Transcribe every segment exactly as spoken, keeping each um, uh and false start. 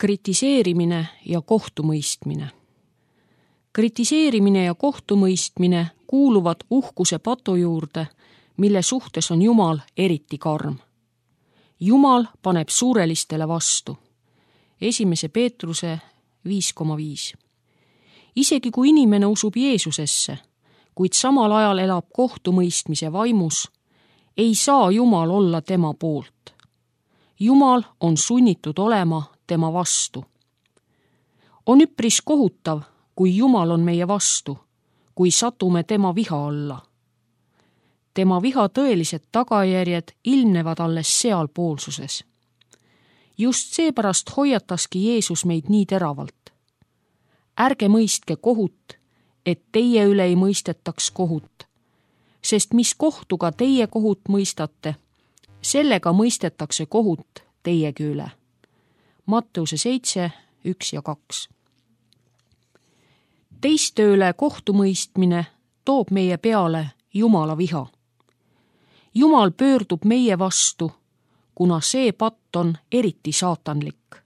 Kritiseerimine ja kohtumõistmine. Kritiseerimine ja kohtumõistmine kuuluvad uhkuse patu juurde, mille suhtes on Jumal eriti karm. Jumal paneb suurelistele vastu. Esimese Peetruse viis koma viis. Isegi kui inimene usub Jeesusesse, kuid samal ajal elab kohtumõistmise vaimus, ei saa Jumal olla tema poolt. Jumal on sunnitud olema tema vastu. On üpris kohutav, kui Jumal on meie vastu, kui satume tema viha alla. Tema viha tõelised tagajärjed ilmnevad alles sealpoolsuses. Just seepärast hoiataski Jeesus meid nii teravalt. Ärge mõistke kohut, et teie üle ei mõistetaks kohut, sest mis kohtuga teie kohut mõistate, sellega mõistetakse kohut teiegi üle. Matteuse seitse, üks ja kaks. Teiste üle kohtumõistmine toob meie peale Jumala viha. Jumal pöördub meie vastu, kuna see patt on eriti saatanlik.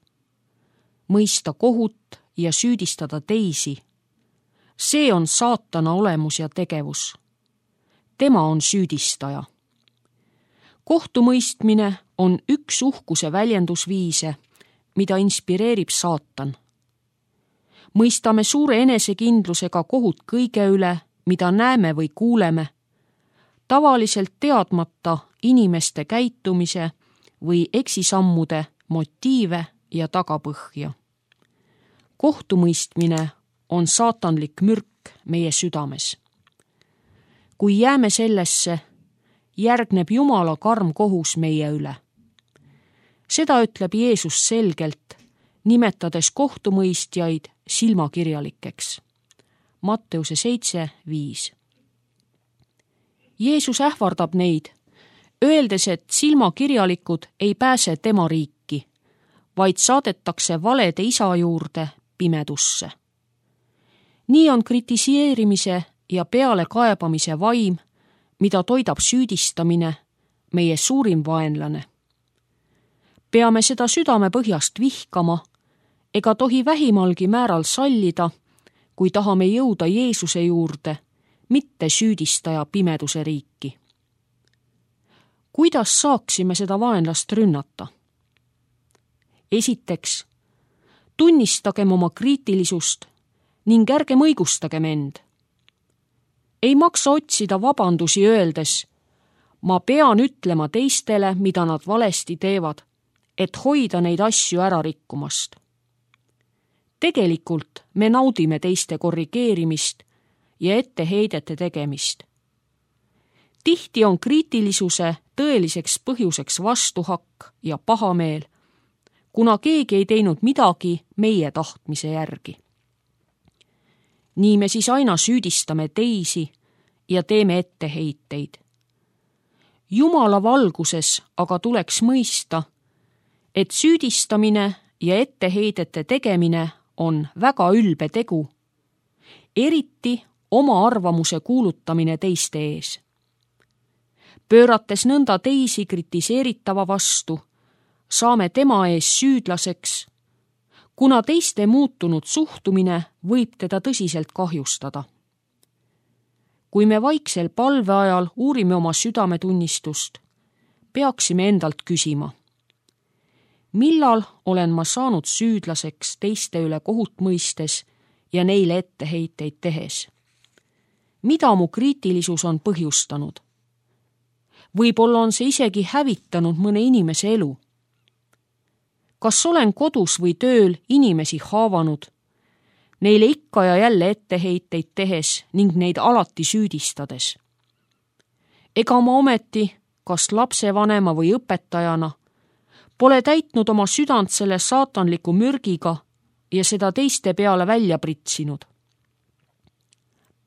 Mõista kohut ja süüdistada teisi. See on saatana olemus ja tegevus. Tema on süüdistaja. Kohtumõistmine on üks uhkuse väljendusviise, mida inspireerib saatan. Mõistame suure enesekindlusega kohut kõige üle, mida näeme või kuuleme, tavaliselt teadmata inimeste käitumise või eksisammude motiive ja tagapõhja. Kohtumõistmine on saatanlik mürk meie südames. Kui jääme sellesse, järgneb Jumala karm kohus meie üle. Seda ütleb Jeesus selgelt, nimetades kohtumõistjaid silmakirjalikeks. Matteuse seitse, viis. Jeesus ähvardab neid, öeldes, et silmakirjalikud ei pääse tema riiki, vaid saadetakse valede isa juurde pimedusse. Nii on kritiseerimise ja pealekaebamise vaim, mida toidab süüdistamine, meie suurim vaenlane. Peame seda südame põhjast vihkama, ega tohi vähimalgi määral sallida, kui tahame jõuda Jeesuse juurde, mitte süüdistaja pimeduse riiki. Kuidas saaksime seda vaenlast rünnata? Esiteks, tunnistagem oma kriitilisust ning ärgem õigustagem end. Ei maksa otsida vabandusi öeldes, ma pean ütlema teistele, mida nad valesti teevad, et hoida neid asju ära rikkumast. Tegelikult me naudime teiste korrigeerimist ja etteheidete tegemist. Tihti on kriitilisuse tõeliseks põhjuseks vastuhakk ja pahameel, kuna keegi ei teinud midagi meie tahtmise järgi. Nii me siis aina süüdistame teisi ja teeme etteheiteid. Jumala valguses aga tuleks mõista, et süüdistamine ja etteheidete tegemine on väga ülbe tegu, eriti oma arvamuse kuulutamine teiste ees. Pöörates nõnda teisi kritiseeritava vastu, saame tema ees süüdlaseks, kuna teiste muutunud suhtumine võib teda tõsiselt kahjustada. Kui me vaiksel palve ajal uurime oma südametunnistust, peaksime endalt küsima, millal olen ma saanud süüdlaseks teiste üle kohut mõistes ja neile etteheiteid tehes? Mida mu kriitilisus on põhjustanud? Võib-olla on see isegi hävitanud mõne inimese elu. Kas olen kodus või tööl inimesi haavanud, neile ikka ja jälle etteheiteid tehes ning neid alati süüdistades? Ega ma ometi, kas lapsevanema või õpetajana, pole täitnud oma südant selle saatanliku mürgiga ja seda teiste peale välja pritsinud.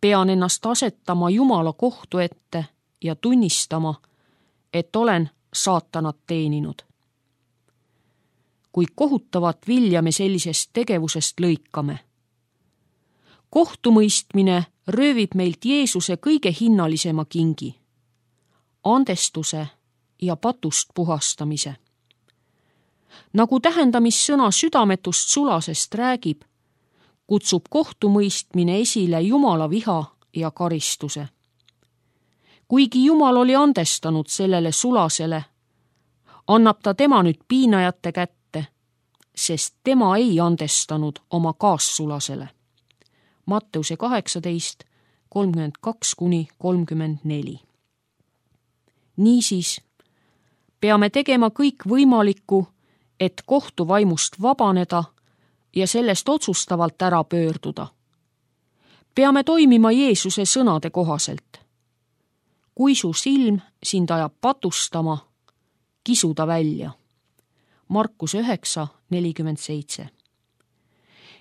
Pean ennast asetama Jumala kohtu ette ja tunnistama, et olen saatanat teeninud. Kui kohutavat vilja me sellisest tegevusest lõikame. Kohtumõistmine röövib meilt Jeesuse kõige hinnalisema kingi, andestuse ja patust puhastamise. Nagu tähendamissõna südametust sulasest räägib, kutsub kohtumõistmine esile Jumala viha ja karistuse. Kuigi Jumal oli andestanud sellele sulasele, annab ta tema nüüd piinajate kätte, sest tema ei andestanud oma kaassulasele. Matteuse kaheksateist, kolmkümmend kaks kuni kolmkümmend neli. Niisiis peame tegema kõik võimalikku, et kohtuvaimust vabaneda ja sellest otsustavalt ära pöörduda. Peame toimima Jeesuse sõnade kohaselt. Kui su silm sind ajab patustama, kisu ta välja. Markuse üheksa, nelikümmend seitse.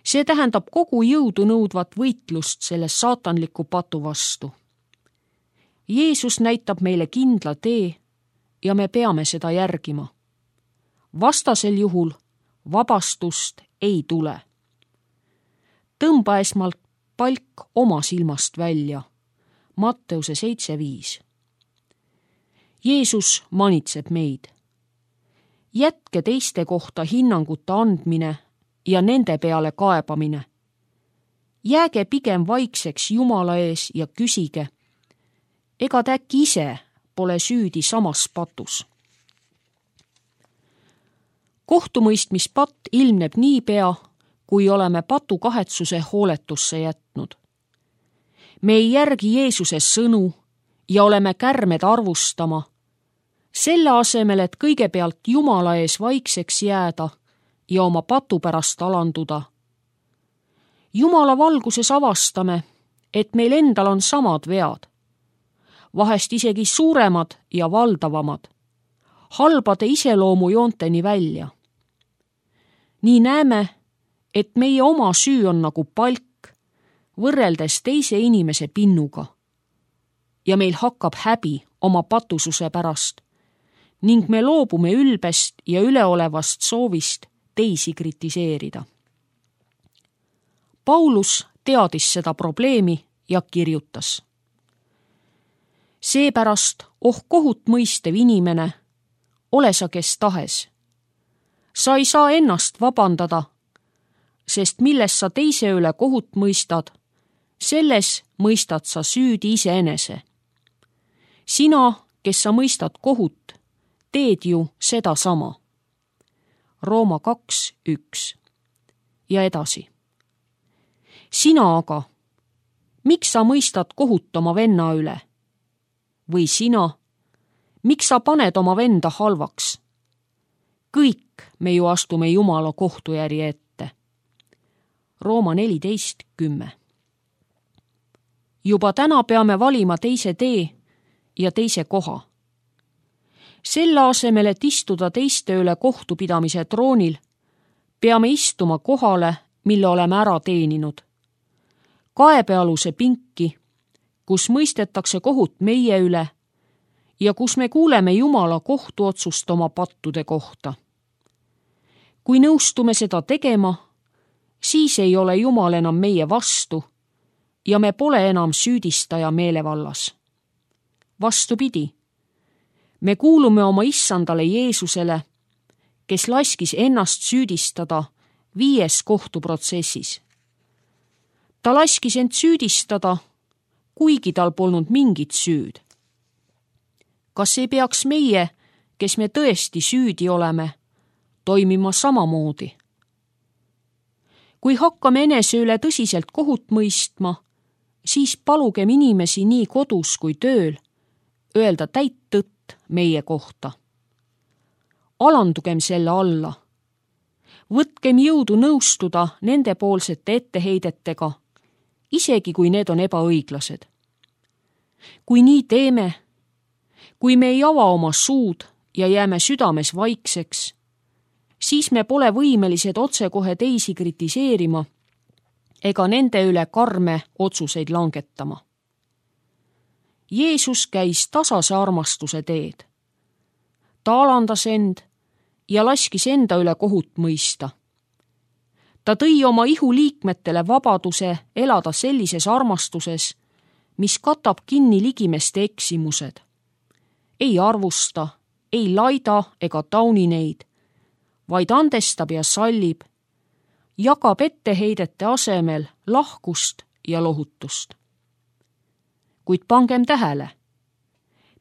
See tähendab kogu jõudu nõudvat võitlust selle saatanliku patu vastu. Jeesus näitab meile kindla tee ja me peame seda järgima. Vastasel juhul vabastust ei tule. Tõmba esmalt palk oma silmast välja. Matteuse seitse viis. Jeesus manitseb meid. Jätke teiste kohta hinnanguta andmine ja nende peale kaebamine. Jääge pigem vaikseks Jumala ees ja küsige, ega ta äkki ise pole süüdi samas patus. Kohtumõistmispatt ilmneb niipea, kui oleme patu kahetsuse hooletusse jätnud. Me ei järgi Jeesuse sõnu ja oleme kärmed arvustama, selle asemel, et kõigepealt Jumala ees vaikseks jääda ja oma patu pärast alanduda. Jumala valguses avastame, et meil endal on samad vead, vahest isegi suuremad ja valdavamad, halbade iseloomujoonteni välja. Nii näeme, et meie oma süü on nagu palk, võrreldes teise inimese pinnuga. Ja meil hakkab häbi oma patususe pärast ning me loobume ülbest ja üleolevast soovist teisi kritiseerida. Paulus teadis seda probleemi ja kirjutas. Seepärast, oh kohut mõistev inimene, ole sa kes tahes. Sa ei saa ennast vabandada, sest milles sa teise üle kohut mõistad, selles mõistad sa süüdi iseenese. Sina, kes sa mõistad kohut, teed ju seda sama. Rooma kaks üks. Ja edasi. Sina aga, miks sa mõistad kohut oma venna üle? Või sina, miks sa paned oma venda halvaks? Kõik me ju astume Jumala kohtujärje ette. Rooma neliteist kümme. Juba täna peame valima teise tee ja teise koha. Selle asemel, et istuda teiste üle kohtupidamise troonil, peame istuma kohale, mille oleme ära teeninud. Kaebealuse pinki, kus mõistetakse kohut meie üle ja kus me kuuleme Jumala kohtuotsust oma pattude kohta. Kui nõustume seda tegema, siis ei ole Jumal enam meie vastu ja me pole enam süüdistaja meelevallas. Vastupidi, me kuulume oma issandale Jeesusele, kes laskis ennast süüdistada viies kohtuprotsessis. Ta laskis end süüdistada, kuigi tal polnud mingit süüd. Kas ei peaks meie, kes me tõesti süüdi oleme, toimima samamoodi? Kui hakkame enese üle tõsiselt kohut mõistma, siis palugem inimesi nii kodus kui tööl öelda täit tõtt meie kohta. Alandugem selle alla. Võtkem jõudu nõustuda nendepoolsete etteheidetega, isegi kui need on ebaõiglased. Kui nii teeme, kui me ei ava oma suud ja jääme südames vaikseks, siis me pole võimelised otsekohe teisi kritiseerima ega nende üle karme otsuseid langetama. Jeesus käis tasase armastuse teed. Ta alandas end ja laskis enda üle kohut mõista. Ta tõi oma ihu liikmetele vabaduse elada sellises armastuses, mis katab kinni ligimeste eksimused. Ei arvusta, ei laida ega tauni neid, vaid andestab ja sallib, jagab etteheidete asemel lahkust ja lohutust. Kuid pangem tähele,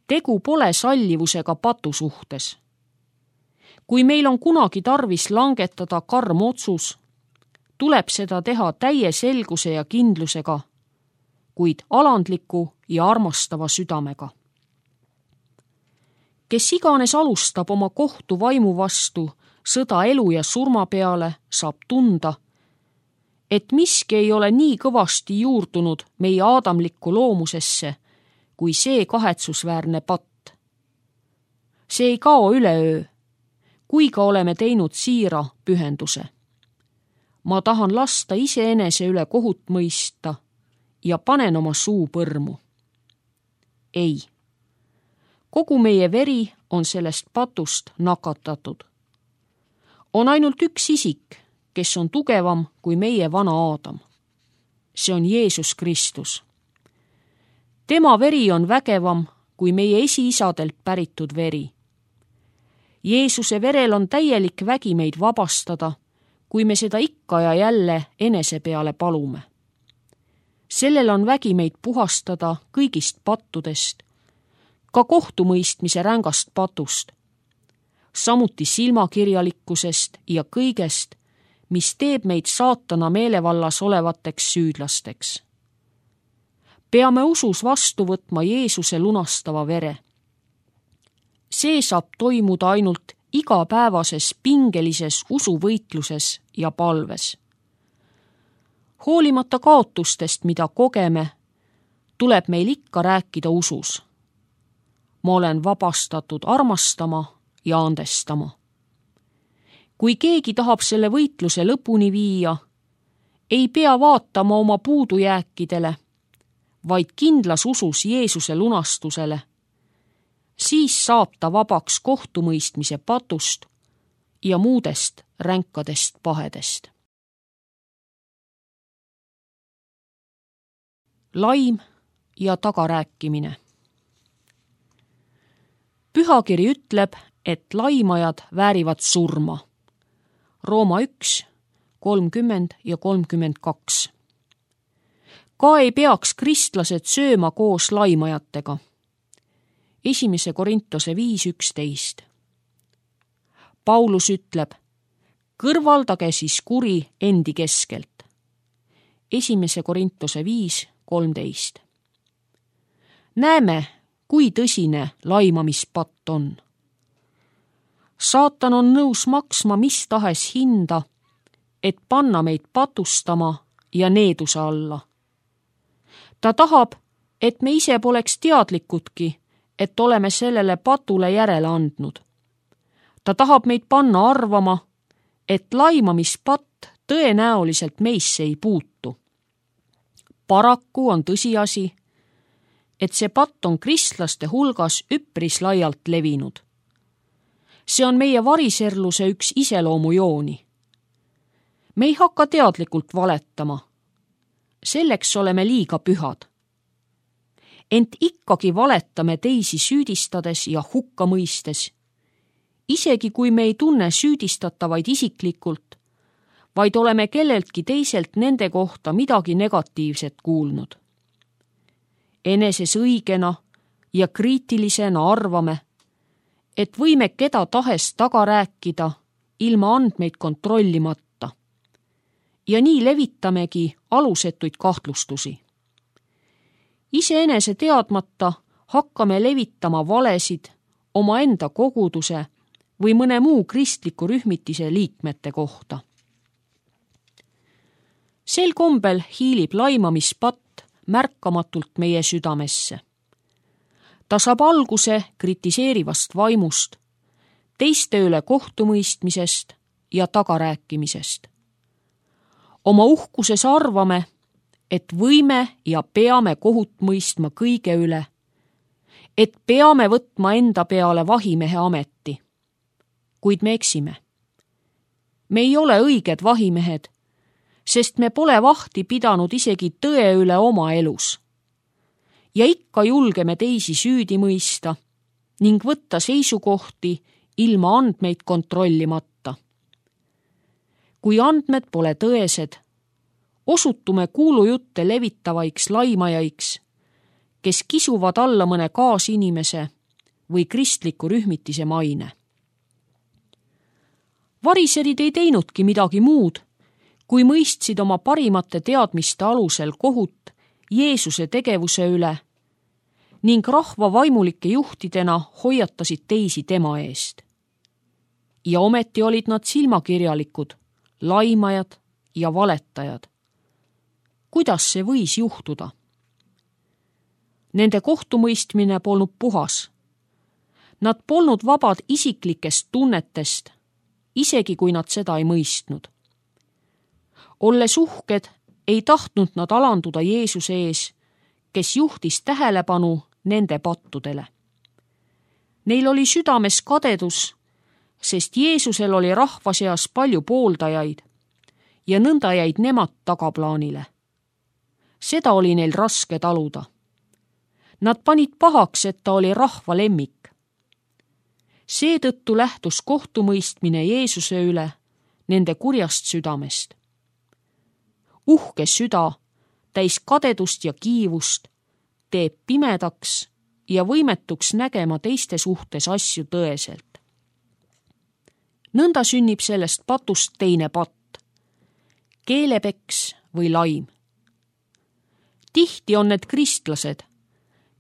tegu pole sallivusega patu suhtes. Kui meil on kunagi tarvis langetada karm otsus, tuleb seda teha täie selguse ja kindlusega, kuid alandliku ja armastava südamega. Kes iganes alustab oma kohtu vaimu vastu sõda elu ja surma peale, saab tunda, et miski ei ole nii kõvasti juurdunud meie aadamlikku loomusesse, kui see kahetsusväärne patt. See ei kao üleöö, kui ka oleme teinud siira pühenduse. Ma tahan lasta iseenese üle kohut mõista ja panen oma suu põrmu. Ei, kogu meie veri on sellest patust nakatatud. On ainult üks isik, kes on tugevam kui meie vana Aadam. See on Jeesus Kristus. Tema veri on vägevam kui meie esiisadelt päritud veri. Jeesuse verel on täielik vägi meid vabastada, kui me seda ikka ja jälle enese peale palume. Sellel on vägi meid puhastada kõigist pattudest, ka kohtumõistmise rängast patust, samuti silmakirjalikkusest ja kõigest, mis teeb meid saatana meelevallas olevateks süüdlasteks. Peame usus vastu võtma Jeesuse lunastava vere. See saab toimuda ainult igapäevases pingelises usuvõitluses ja palves. Hoolimata kaotustest, mida kogeme, tuleb meil ikka rääkida usus. Ma olen vabastatud armastama ja andestama. Kui keegi tahab selle võitluse lõpuni viia, ei pea vaatama oma puudujääkidele, vaid kindlas usus Jeesuse lunastusele. Siis saab ta vabaks kohtumõistmise patust ja muudest ränkadest pahedest. Laim ja tagarääkimine. Pühakiri ütleb, et laimajad väärivad surma. Rooma üks, kolmkümmend ja kolmkümmend kaks. Ka ei peaks kristlased sööma koos laimajatega. Esimese Korintuse viis üksteist. Paulus ütleb, kõrvaldage siis kuri endi keskelt. Esimese Korintuse viis kolmteist. Näeme, kui tõsine laimamispatt on. Saatan on nõus maksma mis tahes hinda, et panna meid patustama ja needuse alla. Ta tahab, et me ise poleks teadlikudki, et oleme sellele patule järele andnud. Ta tahab meid panna arvama, et laimamispatt tõenäoliselt meisse ei puutu. Paraku on tõsiasi, et see patt on kristlaste hulgas üpris laialt levinud. See on meie variserluse üks iseloomujooni. Me ei hakka teadlikult valetama. Selleks oleme liiga pühad. Ent ikkagi valetame teisi süüdistades ja hukka mõistes, isegi kui me ei tunne süüdistatavaid isiklikult, vaid oleme kelleltki teiselt nende kohta midagi negatiivset kuulnud. Eneses õigena ja kriitilisena arvame, et võime keda tahes taga rääkida ilma andmeid kontrollimata. Ja nii levitamegi alusetuid kahtlustusi. Iseenese teadmata hakkame levitama valesid omaenda koguduse või mõne muu kristliku rühmitise liikmete kohta. Sel kombel hiilib laimamispatt märkamatult meie südamesse. Ta saab alguse kritiseerivast vaimust, teiste üle kohtumõistmisest ja tagarääkimisest. Oma uhkuses arvame, et võime ja peame kohut mõistma kõige üle, et peame võtma enda peale vahimehe ameti. Kuid me eksime. Me ei ole õiged vahimehed, sest me pole vahti pidanud isegi tõe üle oma elus. Ja ikka julgeme teisi süüdi mõista ning võtta seisukohti ilma andmeid kontrollimata. kui andmed pole tõesed, osutume kuulujutte levitavaiks laimajaiks, kes kisuvad alla mõne kaasinimese või kristliku rühmitise maine. Variserid ei teinudki midagi muud, kui mõistsid oma parimate teadmiste alusel kohut Jeesuse tegevuse üle ning rahva vaimulike juhtidena hoiatasid teisi tema eest. Ja ometi olid nad silmakirjalikud, laimajad ja valetajad. Kuidas see võis juhtuda? Nende kohtumõistmine polnud puhas. Nad polnud vabad isiklikest tunnetest, isegi kui nad seda ei mõistnud. Olles uhked, ei tahtnud nad alanduda Jeesuse ees, kes juhtis tähelepanu nende pattudele. Neil oli südames kadedus, sest Jeesusel oli rahva seas palju pooldajaid ja nõnda jäid nemad tagaplaanile. Seda oli neil raske taluda. Nad panid pahaks, et ta oli rahva lemmik. Seetõttu lähtus kohtumõistmine Jeesuse üle nende kurjast südamest. Uhke süda, täis kadedust ja kiivust, teeb pimedaks ja võimetuks nägema teiste suhtes asju tõeselt. Nõnda sünnib sellest patust teine patt, keelepeks või laim. Tihti on need kristlased,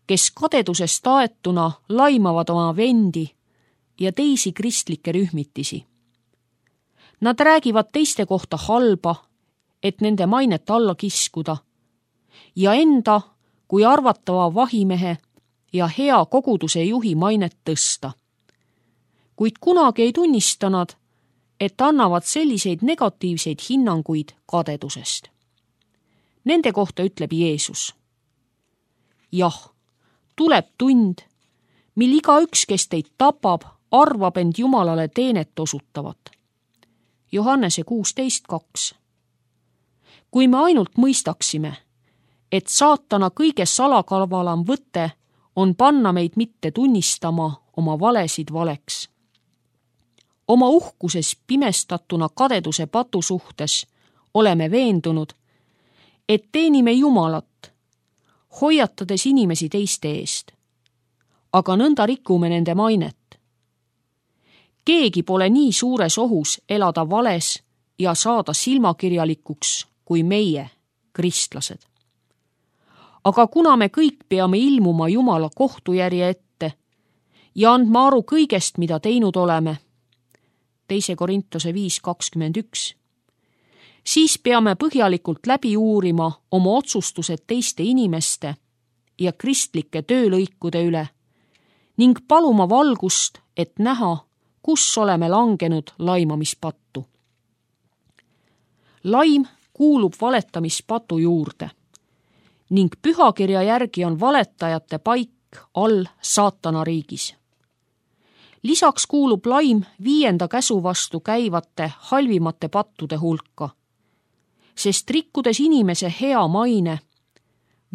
kes kadedusest aetuna laimavad oma vendi ja teisi kristlikke rühmitisi. Nad räägivad teiste kohta halba, et nende mainet alla kiskuda ja enda kui arvatava vahimehe ja hea koguduse juhi mainet tõsta. Kuid kunagi ei tunnista nad, et annavad selliseid negatiivseid hinnanguid kadedusest. Nende kohta ütleb Jeesus: jah, tuleb tund, mil igaüks, kes teid tapab, arvab end Jumalale teenet osutavat. Johannese kuusteist kaks. Kui me ainult mõistaksime, et saatana kõige salakavalam võte on panna meid mitte tunnistama oma valesid valeks. Oma uhkuses pimestatuna kadeduse patu suhtes oleme veendunud, et teenime Jumalat, hoiatades inimesi teiste eest, aga nõnda rikume nende mainet. Keegi pole nii suures ohus elada vales ja saada silmakirjalikuks kui meie, kristlased. Aga kuna me kõik peame ilmuma Jumala kohtujärje ette ja andma aru kõigest, mida teinud oleme, teise Korintuse viis kakskümmend üks, siis peame põhjalikult läbi uurima oma otsustused teiste inimeste ja kristlike töölõikude üle ning paluma valgust, et näha, kus oleme langenud laimamispattu. Laim kuulub valetamispatu juurde ning pühakirja järgi on valetajate paik all saatana riigis. Lisaks kuulub laim viienda käsu vastu käivate halvimate pattude hulka, sest rikkudes inimese hea maine,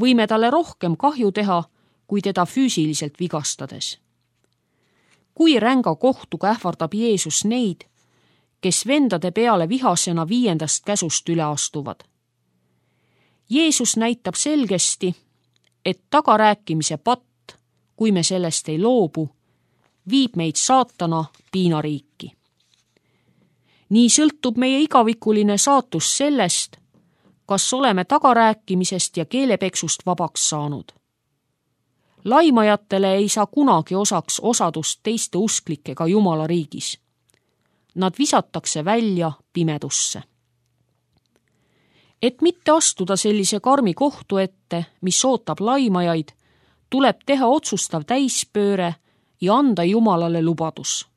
võime talle rohkem kahju teha, kui teda füüsiliselt vigastades. Kui ränga kohtuga ähvardab Jeesus neid, kes vendade peale vihasena viiendast käsust üle astuvad. Jeesus näitab selgesti, et tagarääkimise patt, kui me sellest ei loobu, viib meid saatana piinariiki. Nii sõltub meie igavikuline saatus sellest, kas oleme tagarääkimisest ja keelepeksust vabaks saanud. Laimajatele ei saa kunagi osaks osadust teiste usklikega Jumala riigis. Nad visatakse välja pimedusse. Et mitte astuda sellise karmi kohtu ette, mis ootab laimajaid, tuleb teha otsustav täispööre ja anda Jumalale lubadus.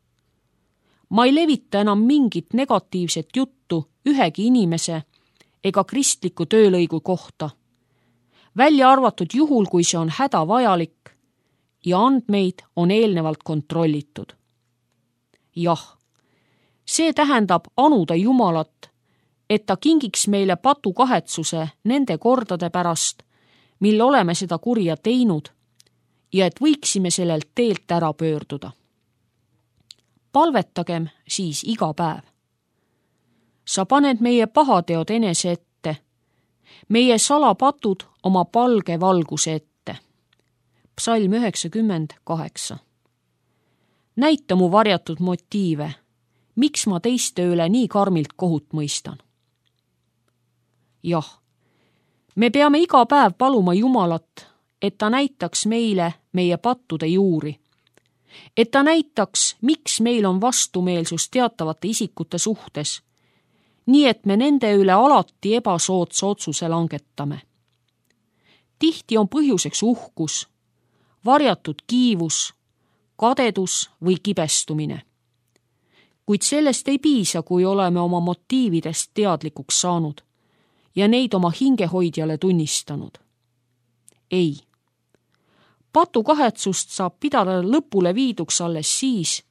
Ma ei levita enam mingit negatiivset juttu ühegi inimese ega kristliku töölõigu kohta, välja arvatud juhul, kui see on hädavajalik ja andmeid on eelnevalt kontrollitud. Jah, see tähendab anuda Jumalat, et ta kingiks meile patu kahetsuse nende kordade pärast, mil oleme seda kurja teinud ja et võiksime sellelt teelt ära pöörduda. Palvetagem siis iga päev. sa paned meie pahateod enese ette, meie salapatud oma palge valguse ette. Psalm üheksakümmend kaheksa. Näita mu varjatud motiive, miks ma teiste üle nii karmilt kohut mõistan. Jah, me peame iga päev paluma Jumalat, et ta näitaks meile meie pattude juuri, et ta näitaks, miks meil on vastumeelsus teatavate isikute suhtes, nii et me nende üle alati ebasoodsa otsuse langetame. Tihti on põhjuseks uhkus, varjatud kiivus, kadedus või kibestumine. Kuid sellest ei piisa, kui oleme oma motiividest teadlikuks saanud ja neid oma hingehoidjale tunnistanud. Ei. Patukahetsust saab pidada lõpule viiduks alles siis,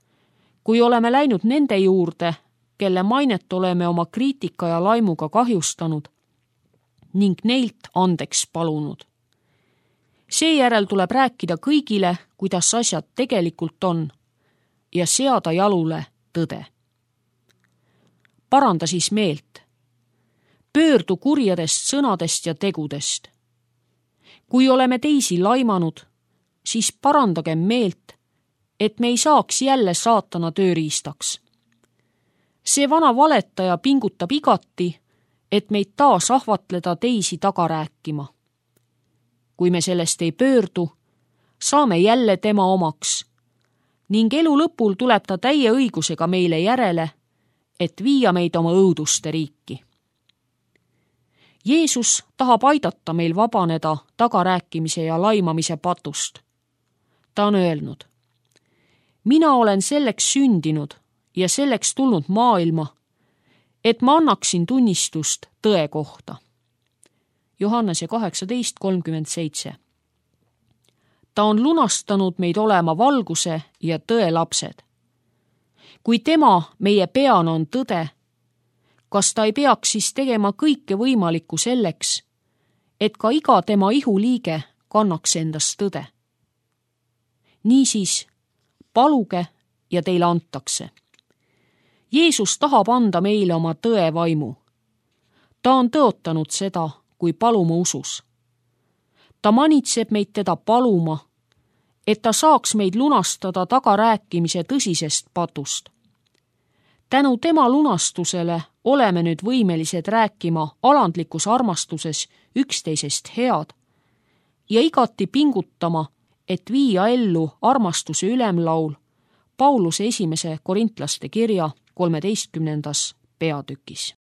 kui oleme läinud nende juurde, kelle mainet oleme oma kriitika ja laimuga kahjustanud ning neilt andeks palunud. Seejärel tuleb rääkida kõigile, kuidas asjad tegelikult on ja seada jalule tõde. Paranda siis meelt. Pöördu kurjadest sõnadest ja tegudest. Kui oleme teisi laimanud, siis parandagem meelt, et me ei saaks jälle saatana tööriistaks. See vana valetaja pingutab igati, et meid taas ahvatleda teisi taga rääkima. Kui me sellest ei pöördu, saame jälle tema omaks ning elu lõpul tuleb ta täie õigusega meile järele, et viia meid oma õuduste riiki. Jeesus tahab aidata meil vabaneda tagarääkimise ja laimamise patust. Ta on öelnud, mina olen selleks sündinud ja selleks tulnud maailma, et ma annaksin tunnistust tõe kohta. Johannese kaheksateist kolmkümmend seitse. Ta on lunastanud meid olema valguse ja tõe lapsed. Kui tema meie peana on tõde, kas ta ei peaks siis tegema kõike võimalikku selleks, et ka iga tema ihuliige kannaks endast tõde? Niisiis, paluge ja teile antakse. Jeesus tahab anda meile oma tõe vaimu. Ta on tõotanud seda, kui palume usus. Ta manitseb meid teda paluma, et ta saaks meid lunastada tagarääkimise tõsisest patust. Tänu tema lunastusele oleme nüüd võimelised rääkima alandlikus armastuses üksteisest head ja igati pingutama, et viia ellu armastuse ülemlaul Pauluse esimese korintlaste kirja kolmeteistkümnendas peatükis.